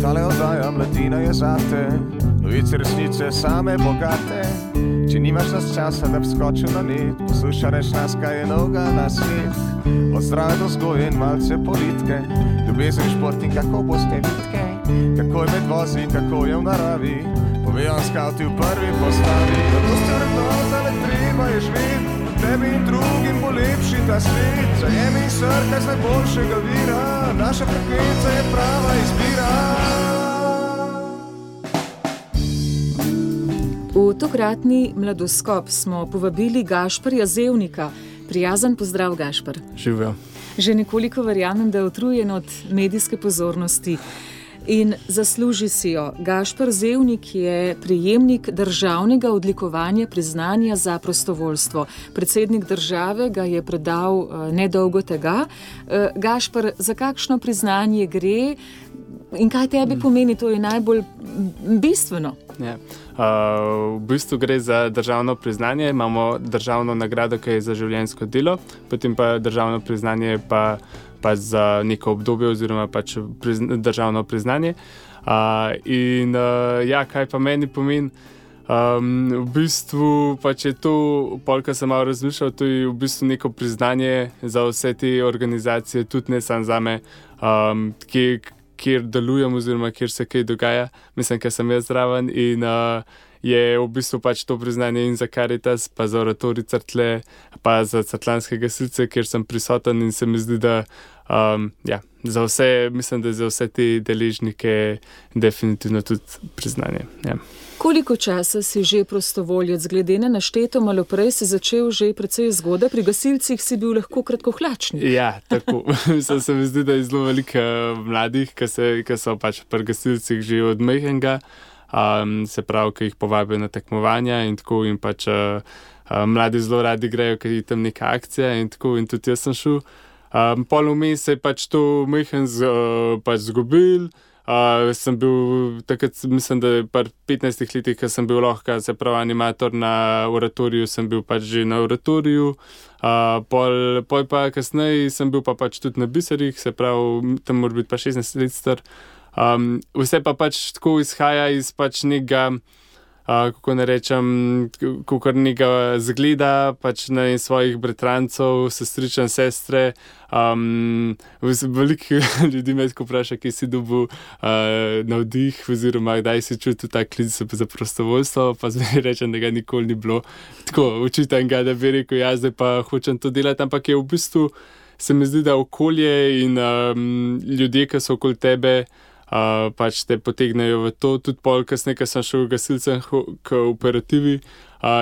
Tale oddaja Mladina je zate, novice resnice same bogate. Če nimaš nas časa, da bi skočil na net, poslušaj reč nas, kaj je novega na svet. Od zdrave do vzgoje in malce politike, ljubezen, šport in kako boste vitke, kako je med vozi, kako je v naravi, povejo skavti v prvi postavi. Zato ste vrednota, le treba je živeti, tebi in drugim bo lepši ta svet. Zajemi srka z najboljšega vira, naša frekvenca je prava izbira. V tokratni Mladoskop smo povabili Gašperja Zevnika. Prijazen pozdrav, Gašper. Živijo. Že nekoliko verjamem, da je utrujen od medijske pozornosti in zasluži si jo. Gašper Zevnik je prejemnik državnega odlikovanja priznanja za prostovoljstvo. Predsednik države ga je predal nedolgo tega. Gašper, za kakšno priznanje gre in kaj tebi pomeni? To je najbolj bistveno. Ja. V bistvu gre za državno priznanje. Imamo državno nagrado, ki je za življenjsko delo, potem pa državno priznanje pa za neko obdobje oziroma pač državno priznanje. Kaj pa meni pomeni? V bistvu pač je to, polka sem malo razmišljal, to je v bistvu neko priznanje za vse te organizacije, tudi ne samo zame, kjer delujem oziroma kjer se kaj dogaja, mislim, ker sem jaz zraven in je v bistvu pač to priznanje in za Caritas, pa za Oratorij Cerklje, pa za Cerkljanske gasilce, kjer sem prisoten in se mi zdi, da za vse, mislim, da za vse te deležnike definitivno tudi priznanje. Ja. Koliko časa si že prostovoljec? Glede na našteto, malo prej si začel že precej zgodaj, pri gasilcih si bil lahko kratkohlačnik. Ja, tako. Se mi zdi, da je zelo veliko mladih, ki so pač pri gasilcih že od majhnega, se pravi, ki jih povabijo na tekmovanja in tako, in pač mladi zelo radi grejo, ker je tam neka akcija in tako, in tudi jaz sem šel. Pol vmes se je pač to majhen pač zgubil. Sem bil takrat, mislim, da pri 15 letih, ko sem bil lahko, se pravi, animator na Oratoriju, sem bil pač že na Oratoriju. Pol pa kasneje sem bil pa pač tudi na Biserih, se pravi, tam mora biti pa 16 let star. Vse pa pač tako izhaja iz pač nekega, kako ne rečem, kakor nekega zgleda, pač na svojih bratrancov, sestričen, sestre. Veliko ljudi me tako vpraša, kje si dobil navdih oziroma kdaj si čutil ta klic za prostovoljstvo, pa zdaj rečem, da ga nikoli ni bilo. Tako, očitam ga, da bi rekel, jaz zdaj pa hočem to delati, ampak je v bistvu, se mi zdi, da okolje in ljudje, ki so okoli tebe, pač te potegnejo v to. Tudi pol kasneje, ko sem šel gasilcem k operativi,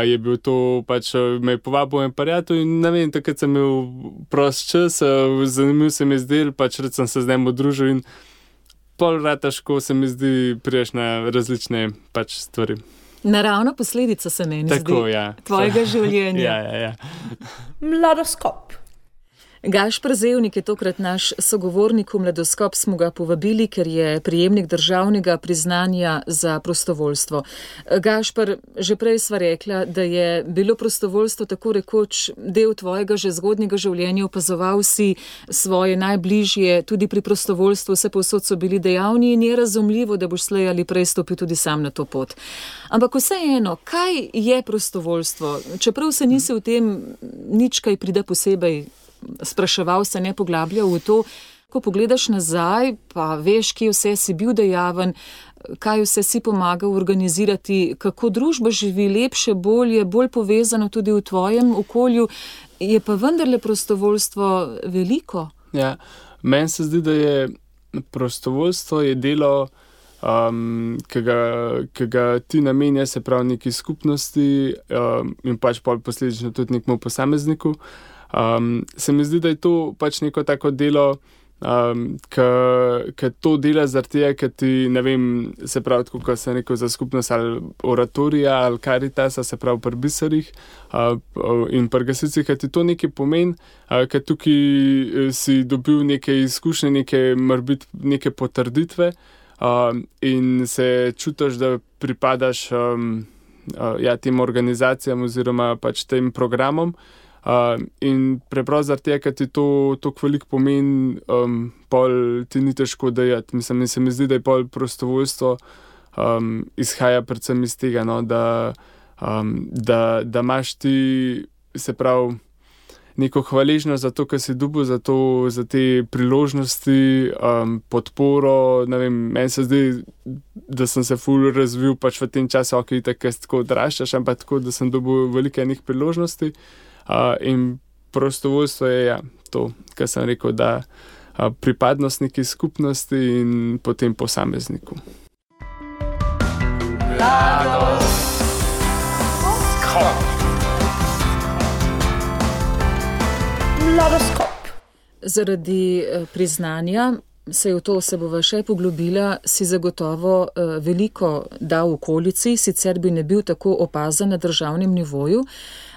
je bil to pač, me je povabil en prijatelj in ne vem, takrat sem imel prost čas, zanimiv se mi je zdel, pač rad sem se z njim družil in pol rataško se mi zdi, priješ na različne pač stvari. Naravna posledica se meni tako, zdi, ja. Tvojega življenja. Ja. Mladoskop. Gašper Zevnik je tokrat naš sogovornik. V Mladoskop smo ga povabili, ker je prejemnik državnega priznanja za prostovoljstvo. Gašper, že prej sva rekla, da je bilo prostovoljstvo tako rekoč del tvojega že zgodnjega življenja, opazoval si svoje najbližje, tudi pri prostovoljstvu vse povsod so bili dejavni in je razumljivo, da boš slej ali prej stopil tudi sam na to pot. Ampak vseeno, kaj je prostovoljstvo? Čeprav se nisi v tem nič kaj prida posebej spraševal, se ne poglabljal v to, ko pogledaš nazaj, pa veš, kje vse si bil dejaven, kaj vse si pomagal organizirati, kako družba živi lepše, bolje, bolj povezano tudi v tvojem okolju, je pa vendarle prostovoljstvo veliko. Ja, meni se zdi, da je prostovoljstvo je delo, ki ga ti namenja, se pravi neki skupnosti in pač pol posledično tudi nekemu posamezniku. Se mi zdi, da je to pač neko tako delo, ki to dela zaradi tega, ker ti, ne vem, se pravi, tako kot sem rekel, za skupnost ali Oratorija ali Caritasa, se pravi pri Biserih in pri gasilcih, ker ti to nekaj pomeni, ker tukaj si dobil neke izkušnje, neke potrditve, in se čutiš, da pripadaš tem organizacijam oziroma pač tem programom. In preprosto zaradi tega, ker ti to veliko pomeni, pol ti ni težko dajati. Mislim, se mi zdi, da je pol prostovoljstvo izhaja predvsem iz tega, no, da imaš ti, se pravi, neko hvaležnost za to, kar si dobil, za te priložnosti, podporo. Ne vem, meni se zdi, da sem se ful razvil pač v tem času, tako odraščaš, ampak tako, da sem dobil veliko enih priložnosti. In prostovoljstvo je to, kar sem rekel, da pripadnost neki skupnosti in potem posamezniku. Mladoskop. Zaradi priznanja se v to se bova še poglobila, si zagotovo veliko dal v okolici, sicer bi ne bil tako opazen na državnem nivoju,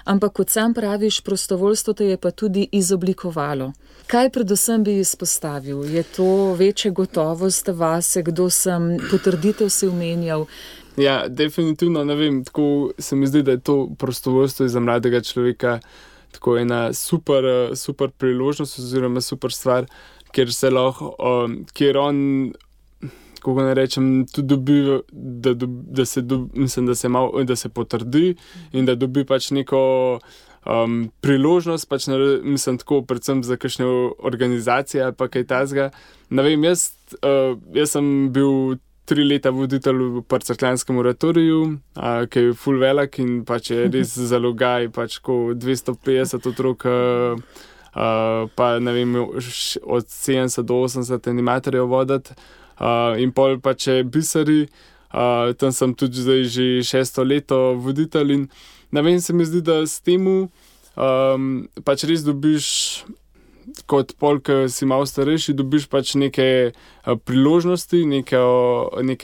ampak kot sam praviš, prostovoljstvo te je pa tudi izoblikovalo. Kaj predvsem bi izpostavil? Je to večja gotovost vase, kdo sem, potrditev si omenjal? Ja, definitivno, ne vem, tako se mi zdi, da je to prostovoljstvo za mladega človeka tako ena super priložnost oziroma super stvar, kjer se lahko, kjer on, kako ne rečem, tudi dobi, da se potrdi in da dobi pač neko priložnost, pač mislim tako, predvsem za kakšne organizacije ali pa kaj takega. Ne vem, jaz sem bil 3 leta voditelj v Cerkljanskem oratoriju, ki je ful velik in pač je res zalogaj, pač ko 250 otrok, pa ne vem, od 70 do 80 animatorjev voditi, in pol pač je biseri, tam sem tudi zdaj že 6. leto voditelj in ne vem, se mi zdi, da s temu pač res dobiš, kot pol, ki si malo starejši, dobiš pač neke priložnosti, neke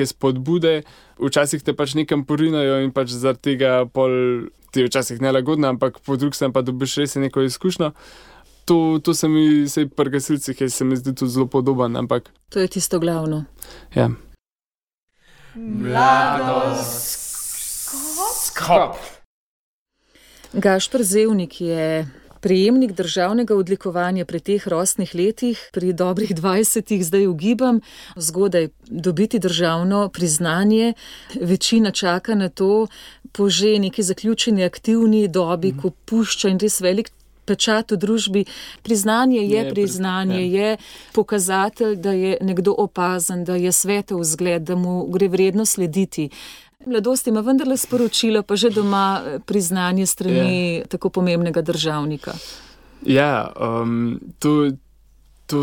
spodbude, včasih te pač nekam porinajo in pač zaradi tega pol ti je včasih nelagodno, ampak po drugi strani pa dobiš res neko izkušnjo. To se mi, sej pri gasilcih, se mi zdi tudi zelo podoben, ampak... To je tisto glavno. Ja. Mladoskop. Gašper Zevnik je prejemnik državnega odlikovanja pri teh rosnih letih, pri dobrih 20 zdaj ugibam, zgodaj dobiti državno priznanje. Večina čaka na to po že neki zaključeni aktivni dobi, ko pušča in res velik pečat v družbi. Priznanje je pokazatelj, da je nekdo opazen, da je svetov vzgled, da mu gre vredno slediti. Mladost ima vendarle sporočilo, pa že doma priznanje strani tako pomembnega državnika. Ja, to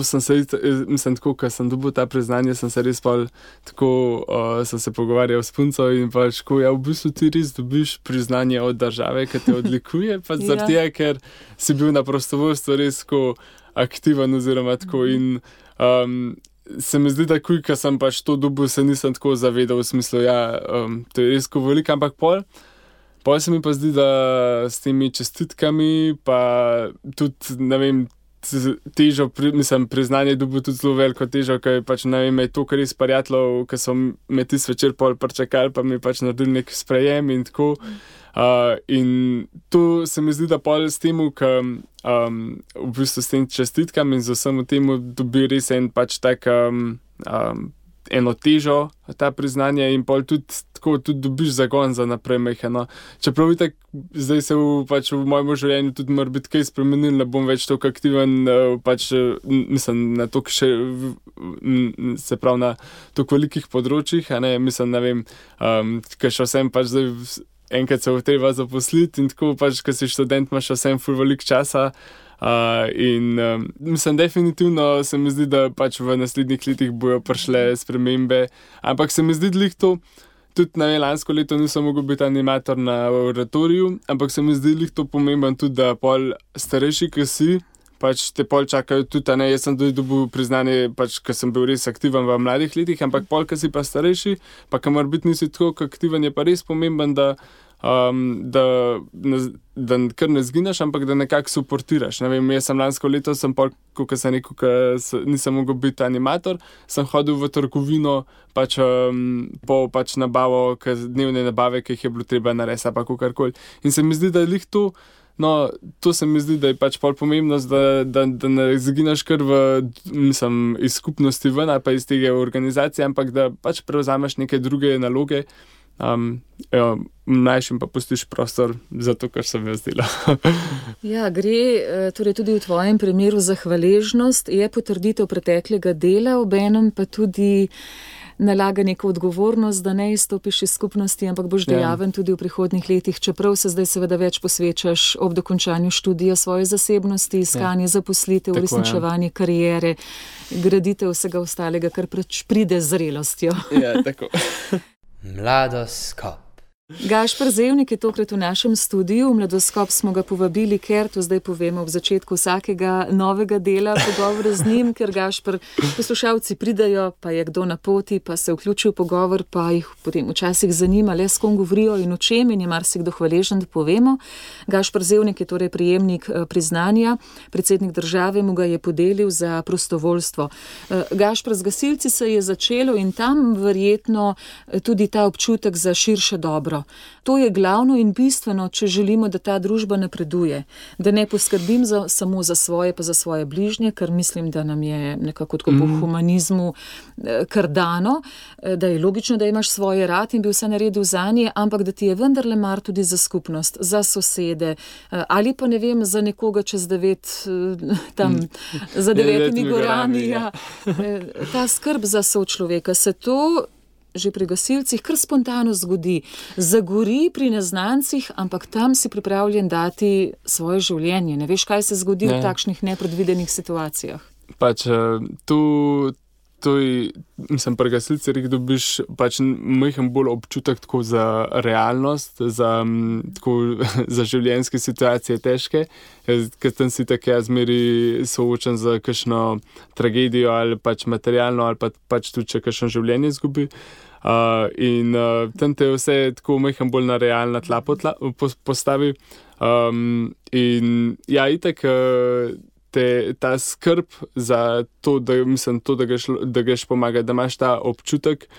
sem se, mislim tako, ko sem dobil ta priznanje, sem se res tako, sem se pogovarjal s punco in pač, ko v bistvu ti res dobiš priznanje od države, ki te odlikuje, pa zaradi tega, ker si bil na prostovoljstvu res tako aktiven oziroma tako in se mi zdi, da ko sem pač to dobil, se nisem tako zavedal v smislu, to je res veliko, ampak pol se mi pa zdi, da s temi čestitkami pa tudi, ne vem, težo, priznanje dobil tudi zelo veliko težo, ker pač, ne vem, je to, kar res prijateljev, ki so me tisti večer pol pričakali, pa mi pač naredili nek sprejem in tako. In to se mi zdi, da pol s temu, v bistvu s tem čestitkam in z vsem temu dobi res en pač tak eno težo, ta priznanje in pol tudi dobiš zagon za naprej mehano. Čeprav itak zdaj se pač v mojem življenju tudi mora biti kaj spremenil, ne bom več toliko aktiven, pač mislim na toliko še, se pravi na toliko velikih področjih, a ne, mislim, ne vem, ker še vsem pač zdaj enkrat se treba zaposliti in tako pač, ko si študent, imaš vsem ful veliko časa. In mislim, definitivno se mi zdi, da pač v naslednjih letih bojo prišle spremembe, ampak se mi zdi glih to, tudi na lansko leto nisem mogel biti animator na oratoriju, ampak se mi zdi glih to pomemben tudi, da pol starejši, ki si, pač te pol čakajo tudi, ne, jaz sem tudi dobil priznanje, pač, ker sem bil res aktiven v mladih letih, ampak pol, ki si pa starejši, pa kamor biti nisi tako aktiven, je pa res pomemben, da da kar ne zgineš, ampak da nekako suportiraš. Ne vem, jaz sem lansko leto, kot sem rekel, nisem mogel biti animator, sem hodil v trgovino po nabavo, dnevne nabave, ki jih je bilo treba narediti, pa kakorkoli. In se mi zdi, da je lih to, no, to se mi zdi, da je pol pomembnost, da ne zginaš kar iz skupnosti ven, ali pa iz tega organizacije, ampak da prevzameš neke druge naloge, mlajšim pa pustiš prostor za to, kar se mi je zdelo. Ja, gre torej tudi v tvojem primeru za hvaležnost, je potrditev preteklega dela, obenem pa tudi nalaga neko odgovornost, da ne izstopiš iz skupnosti, ampak boš dejaven tudi v prihodnjih letih, čeprav se zdaj seveda več posvečaš ob dokončanju študija svoje zasebnosti, iskanje zaposlitev, uresničevanje kariere, graditev vsega ostalega, kar pride z zrelostjo. Ja, tako. Mladoskop. Gašper Zevnik je tokrat v našem studiu. V Mladoskop smo ga povabili, ker to zdaj povemo v začetku vsakega novega dela pogovora z njim, ker Gašper, poslušalci pridajo, pa je kdo na poti, pa se vključi v pogovor, pa jih potem včasih zanima, le s kom govorijo in o čem, in je marsikdo hvaležen, da povemo. Gašper Zevnik je torej prejemnik priznanja, predsednik države mu ga je podelil za prostovoljstvo. Gašper, z gasilci se je začelo in tam verjetno tudi ta občutek za širše dobro. To je glavno in bistveno, če želimo, da ta družba napreduje. Da ne poskrbim samo za svoje, pa za svoje bližnje, kar mislim, da nam je nekako tako po humanizmu kar dano, da je logično, da imaš svoje rad in bi vse naredil zanje, ampak da ti je vendarle mar tudi za skupnost, za sosede, ali pa ne vem, za nekoga čez 9, tam, za 9 gorami. Ja. Ta skrb za sočloveka, se to že pri gasilcih kar spontano zgodi. Zagori pri neznancih, ampak tam si pripravljen dati svoje življenje. Ne veš, kaj se zgodi v takšnih nepredvidenih situacijah. Mislim, pri gasilcih dobiš majhen bolj občutek tako za realnost, za življenjske situacije težke, ker tam si tako zmeri soočen z kakšno tragedijo ali materialno ali tudi, če kakšno življenje izgubi. In tam te vse tako majhen bolj na realna tla postavi. In ja, itak ta skrb za to, da greš pomagati, da imaš ta občutek,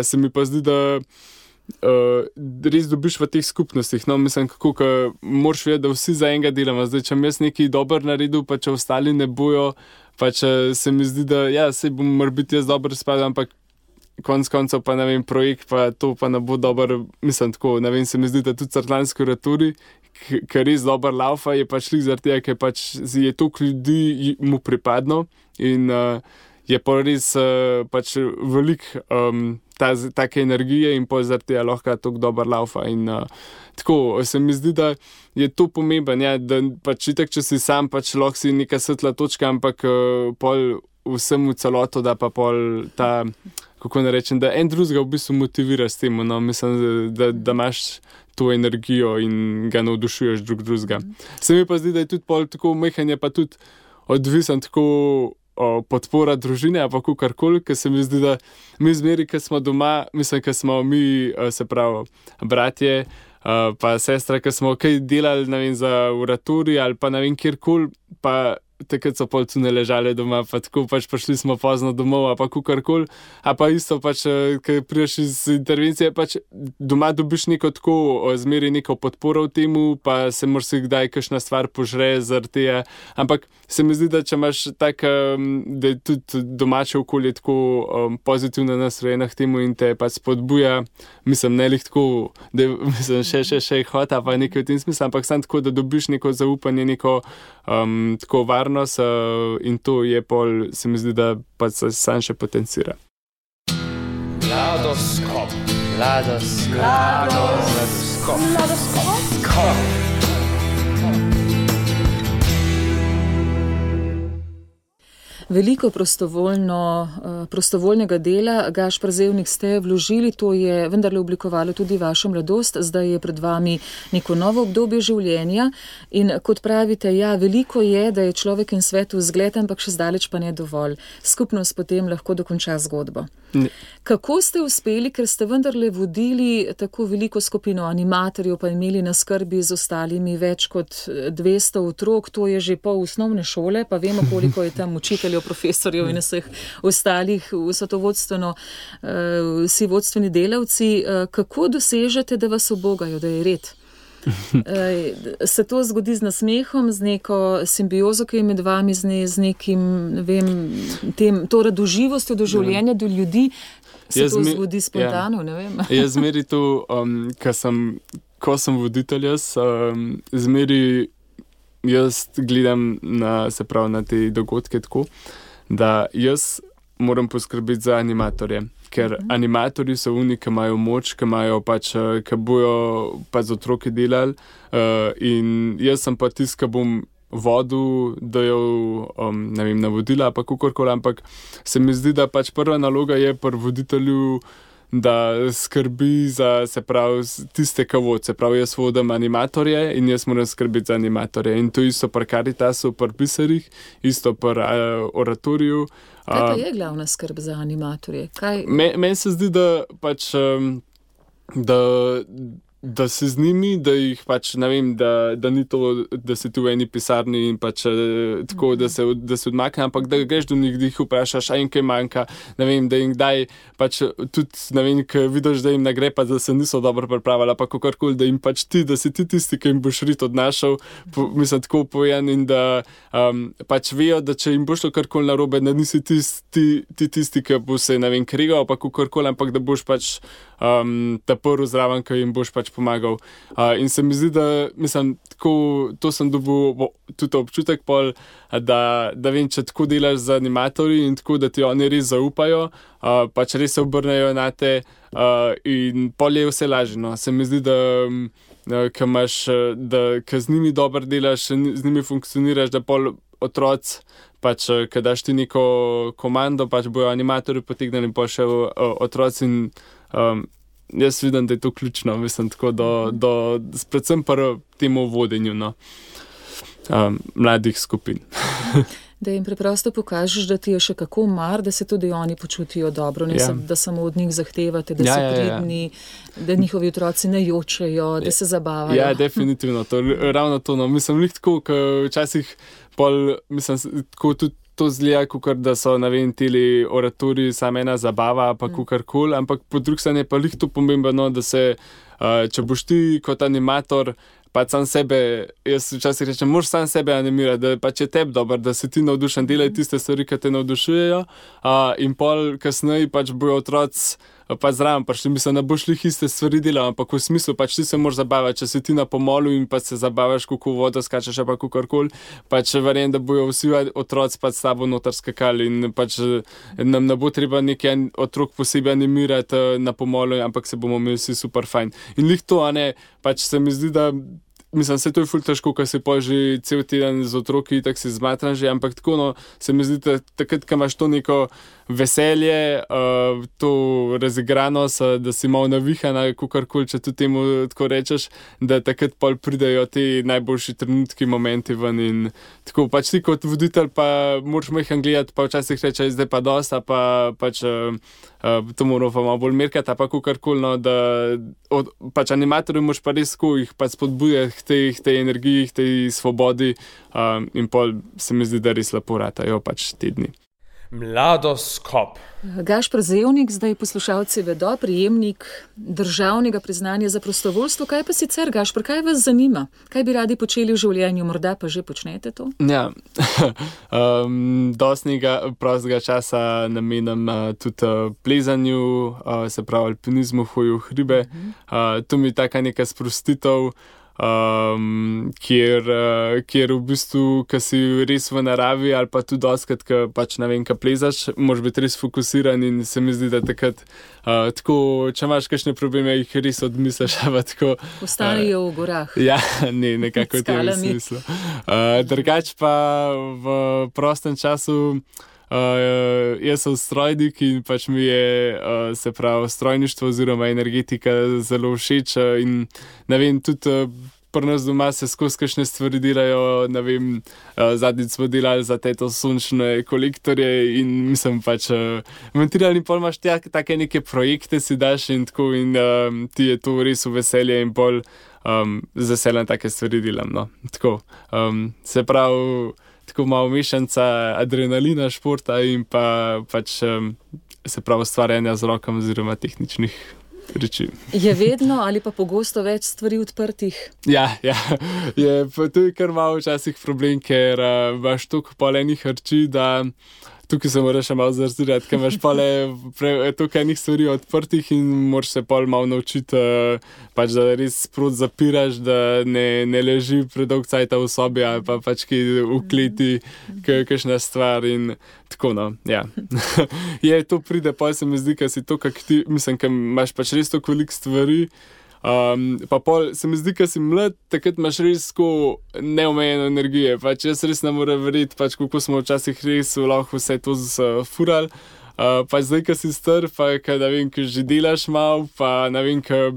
se mi pa zdi, da res dobiš v teh skupnostih. No, mislim, kako moraš vedeti, da vsi za enega delamo. Zdaj, če jaz nekaj dober naredil, pa če ostali ne bojo, pa če se mi zdi, da ja, sej bom morbiti jaz dober spadal, ampak konc koncev pa ne vem, projekt pa to pa ne bo dober, mislim tako, ne vem, se mi zdi, da tudi Cerkljanski Raturi, ker res dober laufa, je šlik zaradi tega, ker je toliko ljudi mu pripadno in je pa res veliko take energije in pa zaradi tega lahko toliko dober laufa in tako, se mi zdi, da je to pomemben, ja, da itak, če si sam, lahko si neka svetla točka, ampak pol vsemu celoto, da pa pol ta, kako ne rečem, da en drugega v bistvu motivira s tem, no, mislim, da imaš to energijo in ga navdušuješ drugega. Se mi pa zdi, da je tudi pol tako mehanje, pa tudi odvisen tako podpora družine, pa kakorkoli, ker se mi zdi, da mi zmeri, ker smo doma, mislim, ker smo mi, se pravi, bratje, pa sestra, ker smo kaj delali, ne vem, za uraturi ali pa ne vem, kjerkoli, pa takrat so pol cune ležale doma, pa tako prišli smo pozno domov, pa kakorkoli, a pa isto ker prideš iz intervencije, doma dobiš neko tako, zmeri neko podporo v temu, pa se moraš si kdaj kakšna stvar požre zaradi tega, ampak se mi zdi, da če imaš tak, da je tudi domače okolje tako pozitivno nastrojeno k temu in te spodbuja, mislim, ne lih tako, da mislim, še hota, pa nekaj v tem smislu, ampak sam tako, da dobiš neko zaupanje, neko tako varnost in to je pol, se mi zdi, da pa se sam še potencira. Mladoskop. Mladoskop. Mladoskop. Veliko prostovoljnega dela, Gašper Zevnik, ste vložili, to je vendarle oblikovalo tudi vašo mladost, zdaj je pred vami neko novo obdobje življenja in kot pravite, ja, veliko je, da je človek in svetu vzgled, ampak še zdaleč pa ne dovolj. Skupnost potem lahko dokonča zgodbo. Kako ste uspeli, ker ste vendarle vodili tako veliko skupino animatorjev, pa imeli na skrbi z ostalimi več kot 200 otrok, to je že pol osnovne šole, pa vemo, koliko je tam učiteljev, profesorjev in vseh ostalih, vso to vodstveno, vsi vodstveni delavci. Kako dosežete, da vas ubogajo, da je red? Se to zgodi z nasmehom, z neko simbiozo, ki je med vami, z nekim, ne vem, to radoživostjo do življenja, do ljudi, se to zgodi spontano, ne vem. Jaz zmeri to, ko sem voditelj, zmeri jaz gledam na te dogodke tako, da jaz moram poskrbeti za animatorje. Ker animatorji so oni, ki imajo moč, ki bojo z otroki delali, in jaz sem pa tisti, ki bom vodil, dajal, navodila, pa kakorkoli, ampak se mi zdi, da prva naloga je pri voditelju, da skrbi za, tiste, ki vod. Se pravi, jaz vodim animatorje in jaz moram skrbeti za animatorje. In to isto pri Caritasu, pri pisarjih, isto pri oratoriju. Kaj pa je glavna skrb za animatorje? Meni se zdi, da si z njimi, da jih ne vem, da ni to, da si tu v eni pisarni in tako, da se odmakne, ampak da greš do njih, da jih vprašaš, a jim kaj manjka, ne vem, da jim daj, tudi, ne vem, ko vidiš, da jim ne gre, da se niso dobro pripravili, pa kakorkoli, da jim da si ti tisti, ki jim boš rit odnašal, mislim, tako povedan, in da vejo, da če jim bo šlo karkoli narobe, da nisi tisti, ki bo se, ne vem, krigal, pa kakorkoli, ampak da boš ta prvi zraven, ki jim boš pomagal. In se mi zdi, da mislim, tako, to sem dobil tudi občutek pol, da vem, če tako delaš z animatorji in tako, da ti oni res zaupajo, res se obrnejo na te, in pol je vse lažje. No. Se mi zdi, da ko z njimi dobro delaš, z njimi funkcioniraš, da pol otroci, ko daš ti neko komando, bojo animatorji potegnili in pol še otroci in jaz vidim, da je to ključno, mislim, tako predvsem pri temu vodenju, no, mladih skupin. Da jim preprosto pokažeš, da ti je še kako mar, da se tudi oni počutijo dobro, ne da samo od njih zahtevate, da so pridni, da njihovi otroci ne jočejo, da se zabavajo. Ja, definitivno, ravno to, no, mislim, tako, ker včasih mislim, tako tudi to zgleda, kot da so, ne vem, tili oratoriji sama ena zabava, pa kakorkoli, ampak po drugi strani je pa to pomembno, da se, če boš ti kot animator, sam sebe, jaz včasih rečem, moraš sam sebe animirati, da je tebi dobro, da si ti navdušen, delaj tiste stvari, ki te navdušujejo, in pol kasneje bojo otroci zraven prišli, mislim, ne boš lih iste stvari delal, ampak v smislu, ti se moraš zabavati, če si ti na pomolu in se zabavaš, kako vodo skačeš, pa kakorkoli, verjam, da bojo vsi otroci s tabo noter skakali in nam ne bo treba nekaj otrok posebej animirati na pomolu, ampak se bomo imeli vsi super fajn. In lih to, a ne, se mi zdi, da mislim, se to je ful težko, ko si pa že cel teden z otroki, tako si zmatran že, ampak tako, no, se mi zdi, da takrat, ko imaš to neko veselje, to razigranost, da si malo navihana, kakorkoli, če tudi temu tako rečeš, da takrat pol pridejo ti najboljši trenutki, momenti ven in tako, ti kot voditelj pa moraš majhen gledati, pa včasih reče, zdaj pa dosta, to moramo pa malo bolj merkati, pa kakorkoli, no, da animatorju moraš pa res jih spodbujati k tej energiji, k tej svobodi, in pol se mi zdi, da res lepo ratajo te dni. Mladoskop. Gašper Zevnik, zdaj poslušalci vedo, prejemnik državnega priznanja za prostovoljstvo. Kaj pa sicer, Gašper, kaj vas zanima? Kaj bi radi počeli v življenju? Morda pa že počnete to? Ja, dostnega prostega časa namenam tudi plezanju, se pravi alpinizmu, hoju v hribe. To mi je taka neka sprostitev, kjer v bistvu, ko si res v naravi ali pa tudi doskrat, ko ne vem, ko plezaš, moraš biti res fokusiran in se mi zdi, da takrat tako, če imaš kakšne probleme, jih res odmisliš. Ostanejo v gorah. Ja, nekako v tem smislu. Drugač pa v prostem času jaz sem strojnik in pač mi je, se pravi, strojništvo oziroma energetika zelo všeč in ne vem, tudi pri nas doma se skozi kakšne stvari delajo, ne vem, zadnjič smo delali za teto sončne kolektorje in mislim pač montirali in pol imaš take neke projekte si daš in tako in ti je to res v veselje in pol z veseljem take stvari delam, no, tako, se pravi, tako malo mešanca adrenalina, športa in pa pač se pravi ustvarjanja z rokami oziroma tehničnih reči. Je vedno ali pa pogosto več stvari odprtih? Ja, to je kar malo včasih problem, ker imaš toliko polenih harči, da tukaj se moraš malo zarzirati, ker imaš toliko enih stvari odprtih in moraš se pol malo naučiti, pač da res sprot zapiraš, da ne leži predolg cajta v sobi ali pa pač ki v kleti kakšna stvar in tako, no, ja. To pride, pol se mi zdi, ker si to, kak ti, mislim, ker imaš pač res toliko veliko stvari, pa pol se mi zdi, ker si mlad, takrat imaš res tako neomejeno energije, pač jaz res ne morem verjeti, pač kako smo včasih res lahko vse to furali, pač zdaj, ker si star, pa ker ne vem, ker že delaš malo, pa ne vem, ker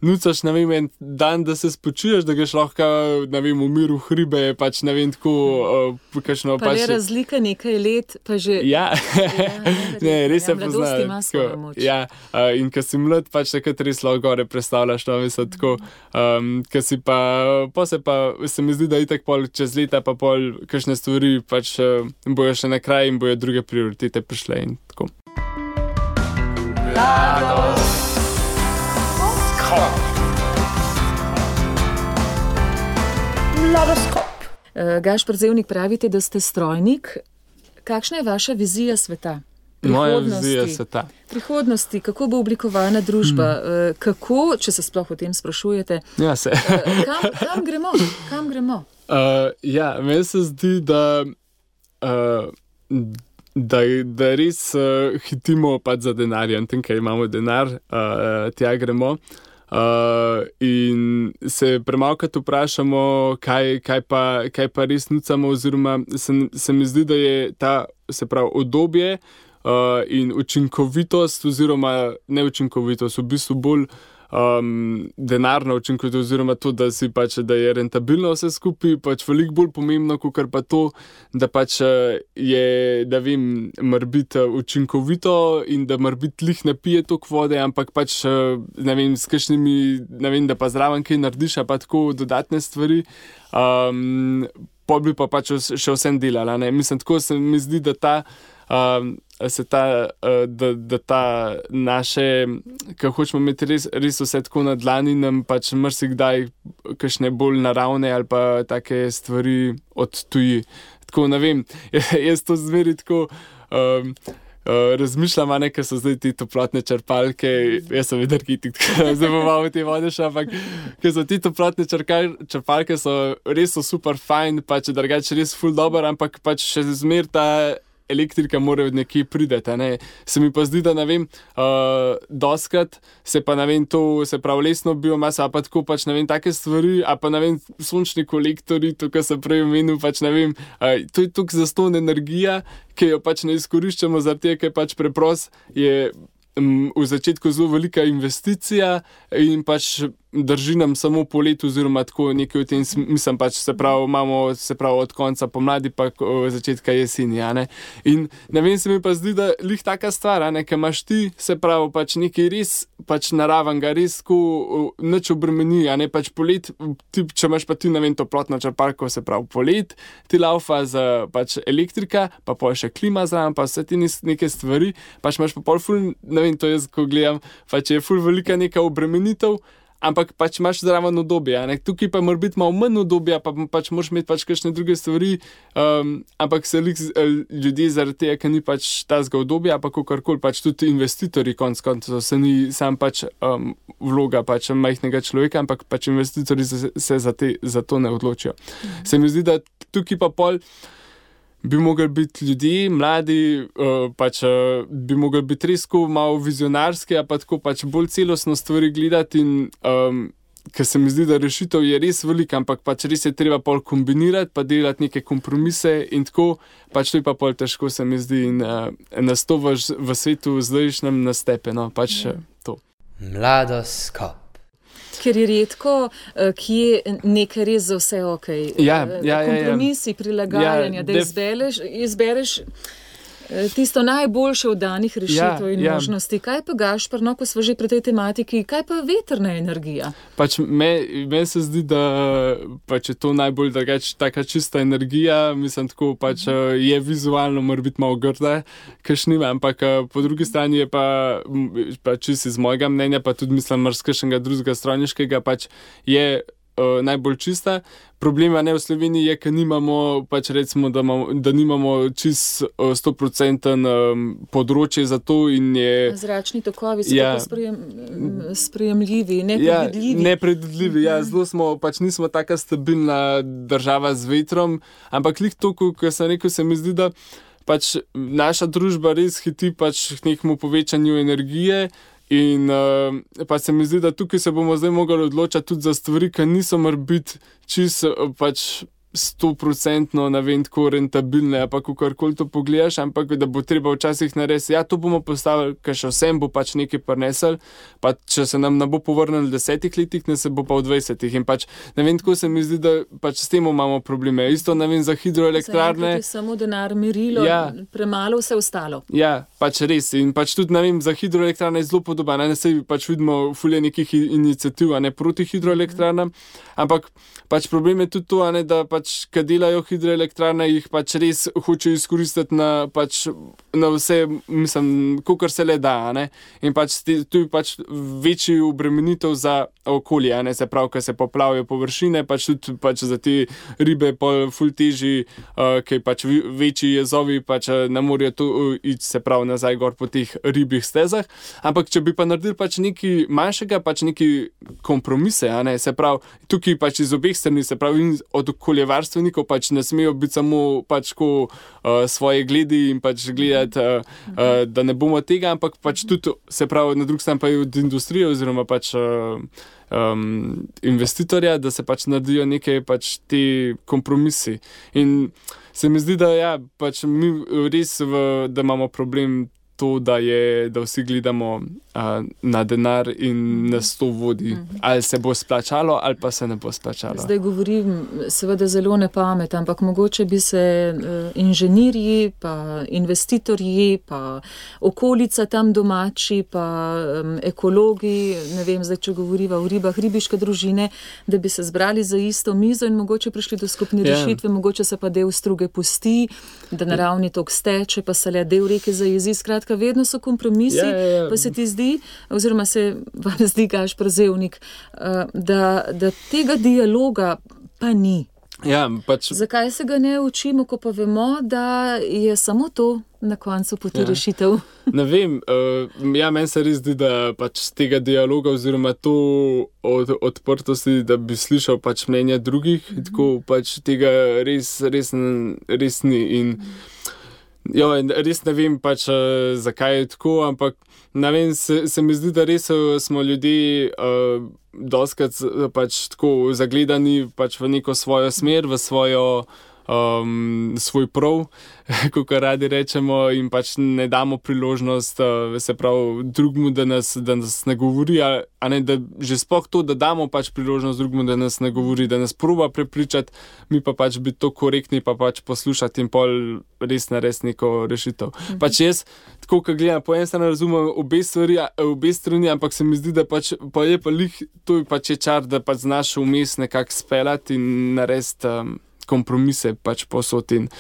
nucaš, ne vem, en dan, da se spočuješ, da greš lahko, ne vem, v miru hribe, pač ne vem, tako, kakšno pač... Pa je razlika nekaj let, pa že... Ja, ne, res se pozna. Mladost ima svojo moč. Ja, in ker si mlad, pač takrat res lahko gore predstavljaš, no, mislim, tako, ker si pa, se mi zdi, da itak pol čez leta, pa pol kakšne stvari, pač bojo še na kraj in bojo druge prioritete prišle in tako. Mladoskop. Gašper Zevnik, pravite, da ste strojnik. Kakšna je vaša vizija sveta? Moja vizija sveta. Prihodnosti, kako bo oblikovana družba, kako, če se sploh o tem sprašujete, ja, se. Kam gremo? Ja, meni se zdi, da res hitimo pač za denarjem, tem, kaj imamo denar, tja gremo. In se premalkrat vprašamo, kaj pa res nucamo, oziroma se mi zdi, da je ta, se pravi, obdobje in učinkovitost, oziroma neučinkovitost, v bistvu bolj denarna učinkovitost, oziroma to, da si pač, da je rentabilno vse skupaj, pač veliko bolj pomembno, kakor pa to, da pač je, da vem, morbiti učinkovito in da morbiti lih ne pije toliko vode, ampak pač, ne vem, s kakšnimi, ne vem, da pa zraven kaj narediš, pa tako dodatne stvari, pol bi pa pač še vsem delala, ne. Mislim, tako se mi zdi, da ta naše, ko hočemo imeti res vse tako na dlani, nam pač marsikdaj kakšne bolj naravne ali pa take stvari odtuji. Tako, ne vem, jaz to zmeri tako razmišljam, ker so zdaj te toplotne črpalke, jaz sem energetik, zdaj bom malo te vode šel, ampak ker so te toplotne črpalke so res super fajn, pač drugače res ful dober, ampak pač še zmer ta elektrika mora od nekje prideti, ne. Se mi pa zdi, da ne vem, doskrat se pa ne vem, to se pravi lesno biomasa, pa tako pač ne vem, take stvari, a pa ne vem, sončni kolektori, to, kar sem prej omenil, pač ne vem, to je toliko zastonj energija, ki jo pač ne izkoriščamo, zaradi tega, ker pač preprost je v začetku zelo velika investicija in pač drži nam samo po letu, oziroma tako nekaj v tem mislim, pač se pravi, imamo se pravi od konca pomladi pa začetka jeseni, ne. In ne vem, se mi pa zdi, da lih taka stvar, ne, ker imaš ti, se pravi, pač nekaj res pač naravenega, res tako nič obremeni, ne, pač polet, če imaš pa ti, ne vem, toplotno črpalko, se pravi, polet, ti laufa za pač elektrika, pa pol še klima zraven, pa vse ti neke stvari, pač imaš pa pol ful, ne vem, to jaz, ko gledam, pač je ful velika neka obremenitev, ampak pač imaš zraven udobje, ne. Tukaj pa mora biti malo manj udobja, pa pač moraš imeti pač kakšne druge stvari, ampak se ljudje zaradi tega, ker ni pač tazga udobja, pa kakorkoli, pač tudi investitorji konec koncev, se ni sam pač vloga pač majhnega človeka, ampak pač investitorji se za to ne odločijo. Se mi zdi, da tukaj pa pol bi mogli biti ljudje, mladi, pač bi mogli biti res malo vizionarski, a pa tako pač bolj celostno stvari gledati in ker se mi zdi, da rešitev je res velika, ampak pač res je treba pol kombinirati, pa delati neke kompromise in tako, pač to je pa pol težko, se mi zdi, in nas to v svetu zdajšnjem nastepe, no, pač to. Mladoskop. Ker je redko, kje nekaj res za vse okej. Kompromisi, prilagajanja, da izbereš tisto najboljše od danih rešitev in možnosti. Kaj pa Gašper, no, ko smo že pri tej tematiki, kaj pa vetrna energija? Pač meni se zdi, da pač je to najbolj taka čista energija, mislim tako, pač je vizualno mora biti malo grda, kakšnima, ampak po drugi strani je pa čisto iz mojega mnenja, pa tudi mislim marsikšnega drugega strojniškega, pač je najbolj čista. Problema ne v Sloveniji je, ker nimamo, pač recimo, da nimamo čist 100% področje za to in je... Zračni tokovi so tako sprejemljivi, nepredvidljivi. Nepredvidljivi, zelo smo, pač nismo taka stabilna država z vetrom, ampak lih to, ko sem rekel, se mi zdi, da pač naša družba res hiti pač k nekemu povečanju energije. In pa se mi zdi, da tukaj se bomo zdaj mogli odločati tudi za stvari, ki niso mar biti čisto pač 100% ne vem, tako rentabilne, pa kakorkoli to pogledaš, ampak da bo treba včasih narediti, to bomo postavili, ker še vsem bo pač nekaj prinesel, pa če se nam ne bo povrnil v 10 letih, ne se bo pa v 20. In pač, ne vem, tako se mi zdi, da pač s tem imamo probleme. Isto, ne vem, za hidroelektrarne. Za samo denar, merilo, premalo vse ostalo. Ja, pač res. In pač tudi, ne vem, za hidroelektrarne je zelo podobno. Ne se pač vidimo fulje nekih iniciativ, a ne proti hidroelektrarnam, ampak pač problem je tudi to, a ne, da pač, kad delajo hidroelektrarne, jih pač res hoče izkoristiti na vse, mislim, kakor se le da, a ne. In pač tu je pač večji obremenitev za okolje, a ne, se pravi, ker se poplavijo površine, pač tudi pač za te ribe pol ful težji, ker pač večji jezovi pač ne morejo tu iti, se pravi, nazaj gor po teh ribjih stezah. Ampak če bi pa naredili pač nekaj manjšega, pač nekaj kompromise, a ne, se pravi, tukaj pač iz obeh strani, se pravi, od okoljevarstvenikov pač ne smejo biti samo pač ko svoje gledi in pač gledati, da ne bomo tega, ampak pač tudi, se pravi, na drugi strani pa je od industrije oziroma pač investitorja, da se pač naredijo neke pač te kompromisi. In se mi zdi, da pač mi res, da imamo problem to, da vsi gledamo na denar in nas to vodi. Ali se bo splačalo, ali pa se ne bo splačalo. Zdaj govorim seveda zelo nepamet, ampak mogoče bi se inženirji, pa investitorji, pa okolica tam domači, pa ekologi, ne vem, zdaj, če govoriva o ribah, ribiške družine, da bi se zbrali za isto mizo in mogoče prišli do skupne rešitve, mogoče se pa del struge pusti, da naravni tok steče, pa se le del reke zajezi. Skratka, vedno so kompromisi, pa se ti zdi, oziroma se vam zdi, Gašper Zevnik, da tega dialoga pa ni. Pač... Zakaj se ga ne učimo, ko pa vemo, da je samo to na koncu poti rešitev? Ne vem, meni se res zdi, da pač z tega dialoga oziroma to odprtosti, da bi slišal pač mnenja drugih, tako pač tega res ni. In res ne vem pač, zakaj je tako, ampak ne vem, se mi zdi, da res smo ljudje dostikrat pač tako zagledani pač v neko svojo smer, v svoj prav, kakor radi rečemo, in pač ne damo priložnost, se pravi, drugmu, da nas ne govori, a ne, da že sploh to, da damo pač priložnost drugmu, da nas ne govori, da nas proba prepričati, mi pa pač biti to korektni, pa pač poslušati in pol res narediti neko rešitev. Pač jaz, tako kot gledam, po eni strani razumem obe strani, ampak se mi zdi, da pač pa je pa lih, to je pač čar, da pač znaš vmes nekako speljati in narediti kompromise pač posod in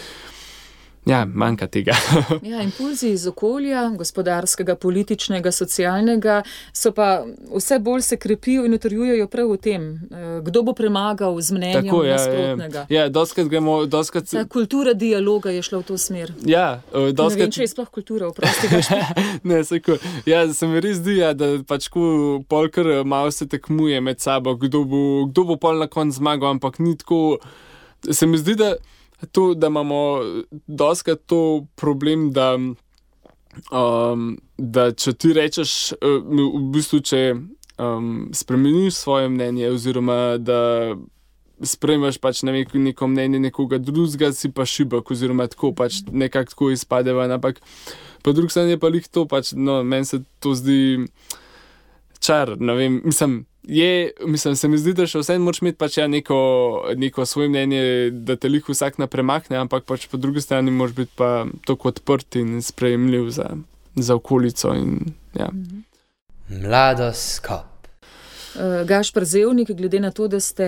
manjka tega. Impulzi iz okolja, gospodarskega, političnega, socialnega, so pa vse bolj se krepijo in utrjujejo prav v tem, kdo bo premagal z mnenjem nasprotnega. Dostikrat gremo, Ta kultura dialoga je šla v to smer. Ne vem, če je sploh kultura, oprosti Gašper. Ne, seko. Se mi res zdi, da pač ko polkar malo se tekmuje med sabo, kdo bo pol na konc zmagal, ampak ni tako. Se mi zdi, da imamo dostikrat to problem, da če ti rečeš, v bistvu, spremeniš svoje mnenje oziroma da sprejmeš pač neko mnenje nekoga drugega, si pa šibak oziroma tako pač nekako tako izpade ven, ampak po drugi strani je pa lih to pač, no, meni se to zdi čar, ne vem, se mi zdi, da še vsem moraš imeti pač neko svoje mnenje, da te lih vsak napremakne, ampak pač po drugi strani moraš biti pa tako odprt in sprejemljiv za okolico in ja. Mladoskop. Gašper Zevnik, glede na to, da ste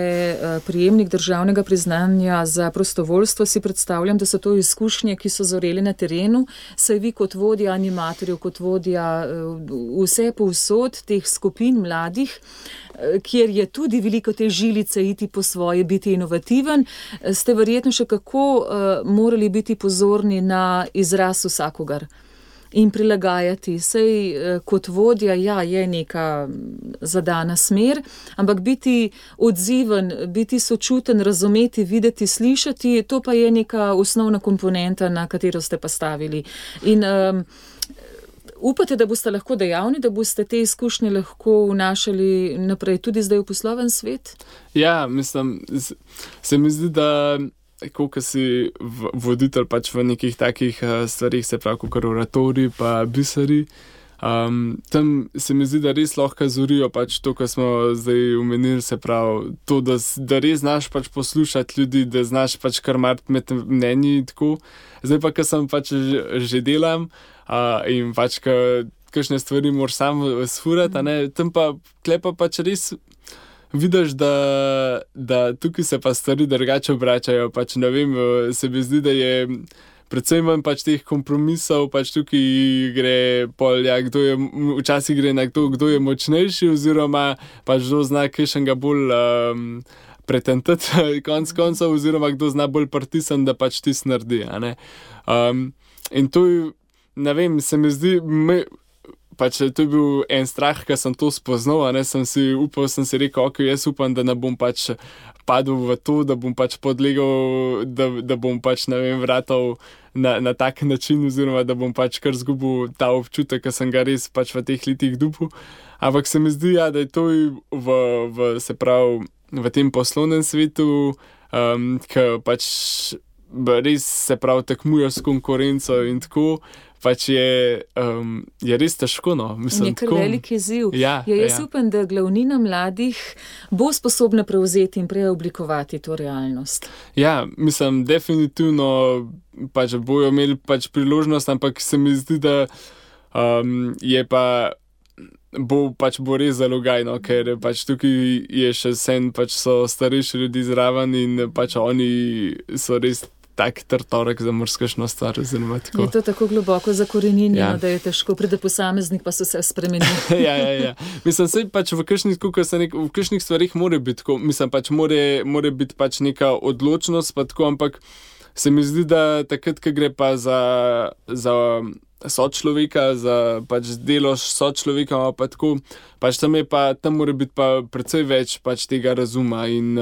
prejemnik državnega priznanja za prostovoljstvo, si predstavljam, da so to izkušnje, ki so zoreli na terenu, saj vi kot vodja animatorjev, kot vodja vse povsod teh skupin mladih, kjer je tudi veliko te žilice iti po svoje, biti inovativen, ste verjetno še kako morali biti pozorni na izraz vsakogar in prilagajati. Sej kot vodja, ja, je neka zadana smer, ampak biti odziven, biti sočuten, razumeti, videti, slišati, to pa je neka osnovna komponenta, na katero ste pa stavili. In upate, da boste lahko dejavni, da boste te izkušnje lahko vnašali naprej tudi zdaj v posloven svet? Ja, mislim, se mi zdi, da ko si voditelj pač v nekih takih stvarih, se pravi, kot oratoriji pa biseri, tam se mi zdi, da res lahko zorijo pač to, kar smo zdaj omenili, se pravi, to, da res znaš pač poslušati ljudi, da znaš pač kar marti med mnenji in tako. Zdaj pa, ker sem pač že delam in pač kakšne stvari moraš sam sfurati, tam pa klepa pač res vidiš, da tukaj se pa stvari drugače obračajo, pač ne vem, se mi zdi, da je predvsem manj pač teh kompromisov, pač tukaj gre včasih gre na kdo je močnejši oziroma pač kdo zna kakšnega bolj pretentati konc koncev oziroma kdo zna bolj pritisniti, da pač tis naredi, in to, ne vem, se mi zdi, pač to je bil en strah, ko sem to spoznal, sem si rekel, ok, jaz upam, da ne bom pač padel v to, da bom pač podlegal, da bom pač, ne vem, vratal na tak način oziroma da bom pač kar zgubil ta občutek, ki sem ga res pač v teh letih dobil. Ampak se mi zdi, ja, da je to se pravi, v tem poslovnem svetu, ki pač res se pravi tekmujo s konkurenco in tako, pač je res težko, no. Mislim, je kar velik izziv. Jaz upam, da glavnina mladih bo sposobna prevzeti in preoblikovati to realnost. Ja, mislim, definitivno pač bojo imeli pač priložnost, ampak se mi zdi, da bo res zalogajno, ker pač tukaj je še sen, pač so starejši ljudi zraven in pač oni so res tak trtorek za morskašno stvar, oziroma tako. Je to tako globoko zakoreninjeno, da je težko, pride posameznik, pa so se spremenili. Ja. Mislim, sej pač v kakšnih stvarih mora biti tako, mislim, pač mora biti pač neka odločnost, pa tako, ampak se mi zdi, da takrat, ko gre pa za sočloveka, za pač delo s sočlovekom, pa tako, pač tam mora biti pa precej več pač tega razuma in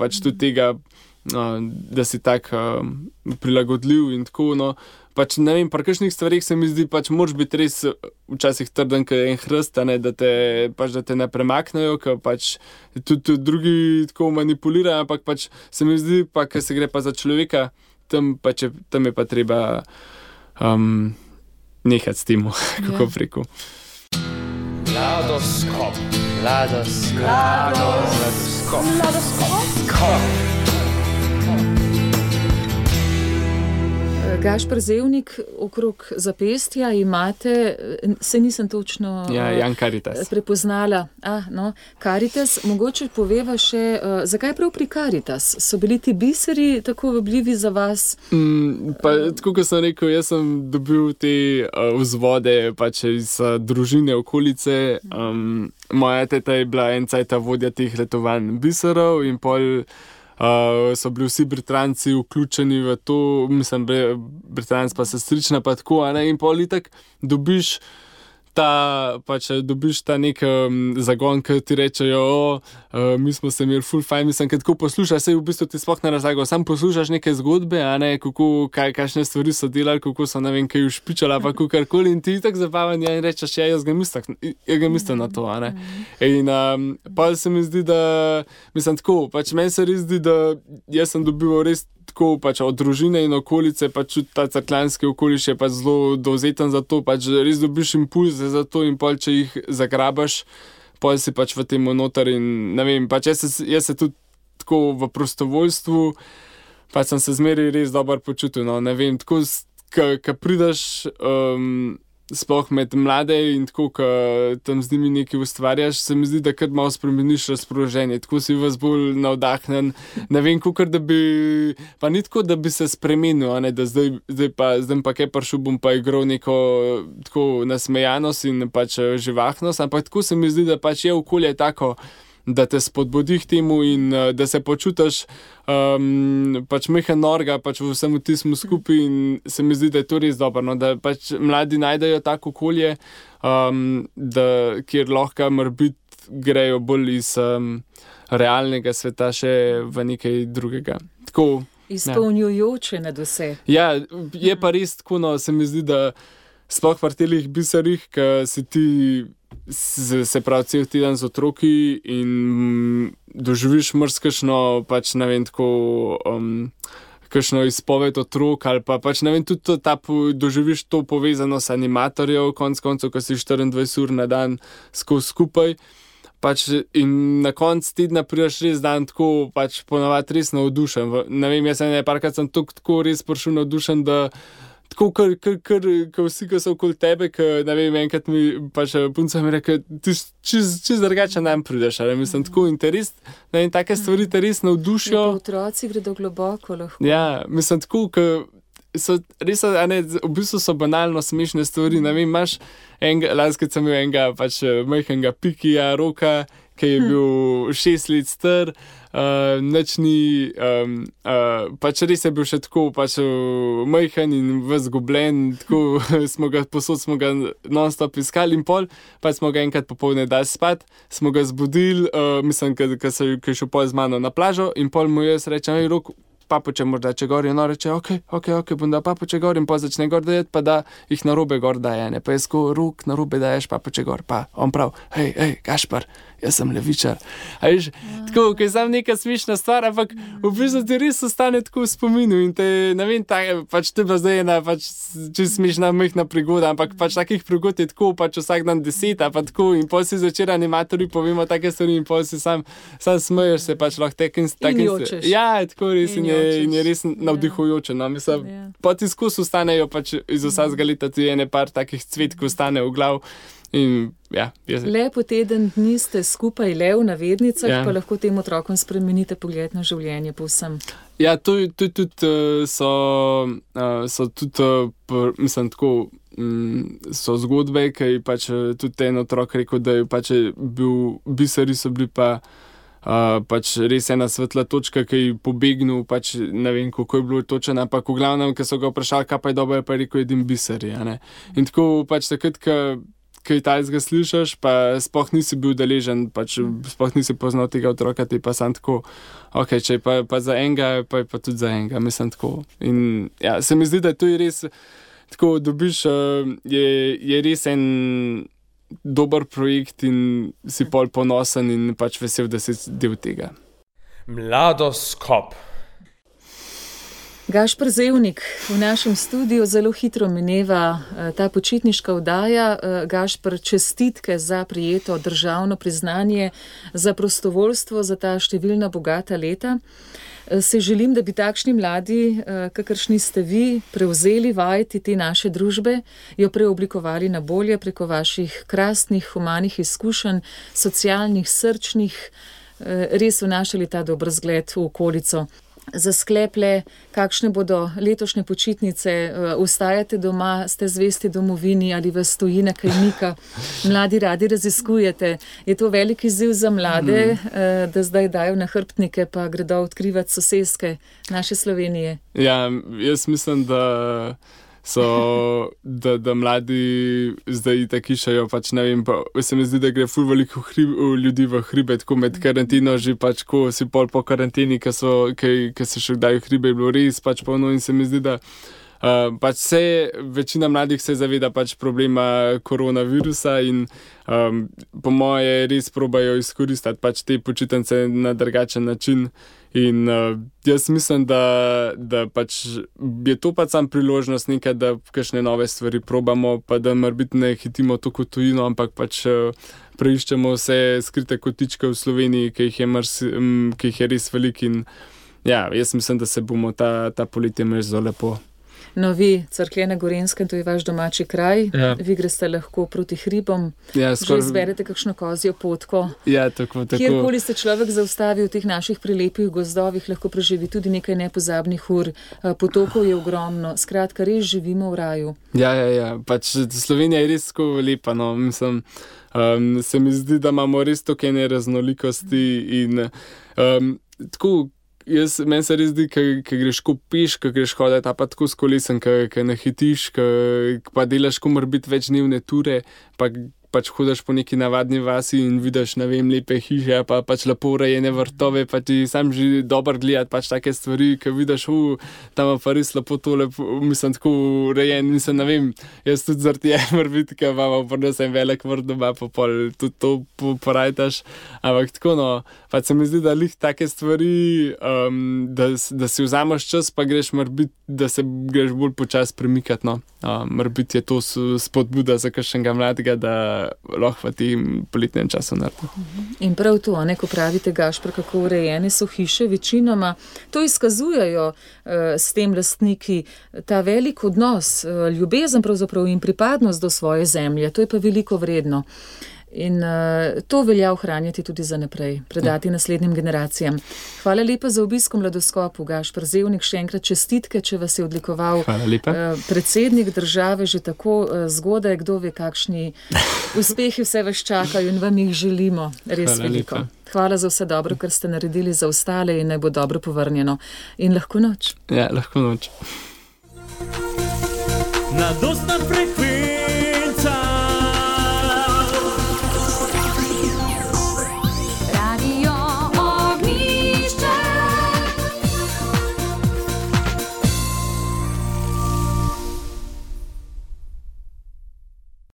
pač tudi tega, da si tak prilagodljiv in tako, no. Pač ne vem, pri kakšnih stvarih se mi zdi, pač moraš biti res včasih trden, kot en hrst, da te ne premaknejo, ker pač tudi drugi tako manipulirajo, ampak pač se mi zdi, pa ker se gre pa za človeka, tam je pa treba nehati s tem, kako preko. Mladoskop. Gašper Zevnik, okrog zapestja imate, se nisem točno Jan Karitas prepoznala. Karitas, mogoče poveva še, zakaj prav pri Karitas? So bili ti biseri tako vabljivi za vas? Tako kot sem rekel, jaz sem dobil te vzvode pač iz družine okolice. Moja teta je bila en cajt vodja teh letovanj biserov in pol so bili vsi Britranci vključeni v to, mislim, Britranc pa sestrična pa tako, in pol itak dobiš pač dobiš ta nek zagon, ki ti rečejo, mi smo se imeli full fajn, mislim, kad tako poslušaš, sej v bistvu ti sploh ne razlagajo, sam poslušaš neke zgodbe, a ne, kakšne stvari so delali, kako so, ne vem, kaj ušpičali, pa kakorkoli in ti tak zabavan, ja, in rečeš, ja, jaz ga mislim na to, a ne. In pa se mi zdi, da, mislim, tako, pač meni se res zdi, da jaz sem dobival res tako pač od družine in okolice, pač ta cerkljanski okoliš je pač zelo dovzeten za to, pač res dobiš impulze za to in pol, če jih zagrabaš, pol si pač v tem noter in ne vem, pač jaz se tudi tako v prostovoljstvu, pač sem se zmeraj res dobro počutil, no, ne vem, tako, ka prideš sploh med mlade in tako, ka tam z njimi nekaj ustvarjaš, se mi zdi, da kar malo spremeniš razpoloženje, tako si vas bolj navdahnen, ne vem, kakor da bi, pa ni tako, da bi se spremenil, ne, da zdaj pa kaj prišel, bom pa igral neko tako nasmejanost in pač živahnost, ampak tako se mi zdi, da pač je okolje tako, da te spodbudi k temu in da se počutiš pač mehen norga pač v vsem tismu skupaj in se mi zdi, da je to res dobro, no, da pač mladi najdejo tako okolje, kjer lahko morbiti grejo bolj iz realnega sveta še v nekaj drugega. Tako, izpolnjujoče nad vse. Ja, je pa res tako, no, se mi zdi, da sploh v telih biserih, ki si ti se pravi cel teden z otroki in doživiš marsikšno, pač ne vem, tako kakšno izpoved otrok ali pa pač ne vem, tudi doživiš to povezano s animatorjev, konc koncev, ko si 24 ur na dan skupaj. Pač in na konc tedna prideš res dan tako, pač ponavadi res navdušen. Ne vem, jaz parkrat sem tako res prišel navdušen, da tako, kar vsi, ki so okoli tebe, ne vem, enkrat mi pač punca mi reke, ti čist drugače nam prideš, ali mislim, tako interes, ne vem, take stvari te res navdušijo. Pa otroci gredo globoko lahko. Ja, mislim, tako, so res, a ne, v bistvu so banalno smešne stvari, ne vem, imaš lanskrat sem imel enega pač majhnega Pikija, Roka, ki je bil 6 let star, nič ni, pač res je bil še tako, pač majhen in ves zgubljen, tako smo ga non-stop iskali in pol, pa smo ga enkrat popoldne dali spat, smo ga zbudili, mislim, ki je šel pol z mano na plažo in pol mu jaz rečem, Rok, papuče morda če gor, in on reče, ok, bom da papuče gor in pa začne gor dajeti, pa da jih narobe gor daje, ne, pa jaz ko Rok narobe daješ papuče gor, pa on prav, hej, Gašpar, jaz sem levičar. A veš, tako, ko je sam neka smešna stvar, ampak v bistvu ti res ostane tako v spominu in te, ne vem, pač te pa zdaj ena pač čisto smešna majhna prigoda, ampak pač takih prigod je tako, pač vsak dan 10, pa tako in pol si zvečer animatorji povemo take stvari in pol si sam smeješ se pač lahko takim. In jočeš. Ja, tako res in je res navdihujoče, no, mislim, pa ti skozi ostanejo pač iz vsakega leta ti ene par takih cvetkov ostane v glav. In, ja, lepo teden dni ste skupaj le v navednicah, pa lahko tem otrokom spremenite pogled na življenje povsem. Ja, to tudi so tudi, mislim, tako, so zgodbe, ki je pač tudi en otrok rekel, da je pač bil, biseri so bili pa pač res ena svetla točka, ki je pobegnil, pač ne vem, kako je bilo točen, ampak v glavnem, ko so ga vprašali, kaj pa je dobro, pa je rekel, jedim biseri, a ne. In tako pač takrat, kaj tajzga slišaš, pa sploh nisi bil deležen, pač sploh nisi poznal tega otroka, ti pa sam tako, ok, če je pa za enega, pa je pa tudi za enega, mislim tako. In ja, se mi zdi, da to je res, tako dobiš, je res en dober projekt in si pol ponosen in pač vesel, da si del tega. Mladoskop. Gašper Zevnik, v našem studiu zelo hitro mineva ta počitniška oddaja. Gašper, čestitke za prijeto državno priznanje za prostovoljstvo, za ta številna bogata leta. Se želim, da bi takšni mladi, kakršni ste vi, prevzeli vajeti te naše družbe, jo preoblikovali na bolje preko vaših krasnih, humanih izkušenj, socialnih, srčnih, res vnašali ta dober zgled v okolico. Za skleple, kakšne bodo letošnje počitnice, ostajate doma, ste zvesti domovini ali vas tujina kaj mika, mladi radi raziskujete. Je to velik izziv za mlade, da zdaj dajo nahrbtnike pa gredo odkrivati soseske naše Slovenije? Ja, jaz mislim, da da mladi zdaj tako išajo, pač ne vem, pa se mi zdi, da gre ful veliko ljudi v hribe, tako med karantino, že pač ko si pol po karanteni, ki se še kdaj v hribe, je bilo res pač polno in se mi zdi, da pač večina mladih se zaveda pač problema koronavirusa in po moje res probajo izkoristiti pač te počitnice na drugačen način. In jaz mislim, da pač je to pač sam priložnost nekaj, da kakšne nove stvari probamo, pa da morbiti ne hitimo to kot tujino, ampak pač preiščemo vse skrite kotičke v Sloveniji, ki jih je res velik in ja, jaz mislim, da se bomo ta poletje imeli zelo lepo. No, vi, Cerklje na Gorenjskem, to je vaš domači kraj, vi greste lahko proti hribom, že izberete kakšno kozjo potko. Ja, tako. Kjerkoli se človek zaustavi v teh naših prelepih gozdovih, lahko preživi tudi nekaj nepozabnih ur, potokov je ogromno, skratka, res živimo v raju. Ja, pač Slovenija je res tako lepa, no, mislim, se mi zdi, da imamo res toliko ene raznolikosti in tako. Meni se res zdi, ko greš ko peš, ko greš hoditi, pa tako s kolesem, ko ne hitiš, pa delaš ko morbiti več dnevne ture, pa pač hodiš po neki navadni vasi in vidiš, ne vem, lepe hiše, pa pač lepo urejene vrtove, pa ti sam že dobro gledati pač take stvari, ko vidiš, tam pa res lepo tole, mislim, tako urejen, mislim, ne vem, jaz tudi zaradi morbiti, ko imamo podnosem velik vrt doma, pa pol tudi to porajtaš, ampak tako, no, pač se mi zdi, da lih take stvari, da si vzameš čas, pa greš morbiti, da se greš bolj počas premikati, no. Morbiti je to spodbuda za kakšnega mladega, da lahko v tem poletnem času naredi. In prav to, ko pravite, Gašper, kako urejene so hiše, večinoma to izkazujejo s tem lastniki ta velik odnos, ljubezen pravzaprav in pripadnost do svoje zemlje, to je pa veliko vredno. In to velja ohranjati tudi za naprej, predati naslednjim generacijam. Hvala lepa za obisk v Mladoskopu, Gašper Zevnik, še enkrat čestitke, če vas je odlikoval predsednik države že tako zgodaj, kdo ve, kakšni uspehi vse vas čakajo in vam jih želimo res veliko. Hvala za vse dobro, kar ste naredili za ostale in naj bo dobro povrnjeno. In lahko noč. Ja, lahko noč. Mladostna frekvenca.